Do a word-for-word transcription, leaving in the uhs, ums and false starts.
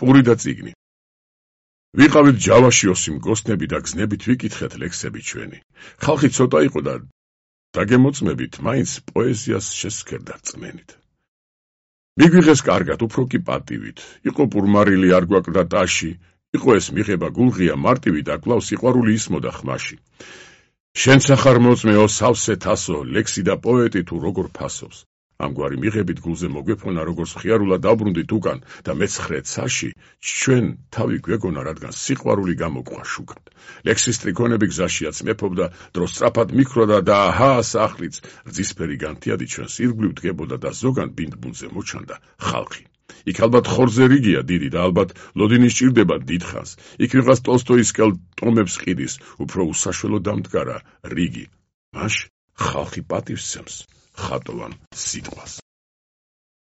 პური და წიგნი. ვიყავით ჯავაში ოსი მგოსნები და გზნებით ვიკითხეთ ლექსები ჩვენი. ხალხი ცოტა იყო და დაგემოწმებით, მაინც პოეზიას შესქერდა რწმენით. მიგვიღეს კარგად, უფრო კი პატივით. იყო პურმარილი არ გვაკლდა ტაში, იყო ეს მიღება გულღია მარტივი და კვლავ სიყვარული ისმოდა ხმაში. შენ სახარ მოწმეო სავსე თასო, ლექსი და პოეტი თუ როგორ ფასობს. ამგვარი მიღებით გულზე მოგვეფონა როგორც მხიარულად დაბრუნდით უკან და მეცხრე ცაში ჩვენ თავი გვეგონა რადგან სიყვარული გამოგვყვა შუქად. ლექსის ტრიქონები გზაშიაც მეფობდა, დრო სწრაფად მიქროდა და აჰა სახლიც რძისფერი განთიადი ჩვენს ირგვლივ დგებოდა და ზოგან ბინდბუნზე მოჩანდა ხალხი. იქ ალბათ ხორზე რიგია დიდი და ალბათ ლოდინი სჭირდება დიდხანს. იქ ვიღაც ტოლსტოისკელ ტომებს ყიდის, უფრო უსაშველო დამდგარა რიგი. მაშ ხალხი პატივს სცემს ხატოვან სიტყვას.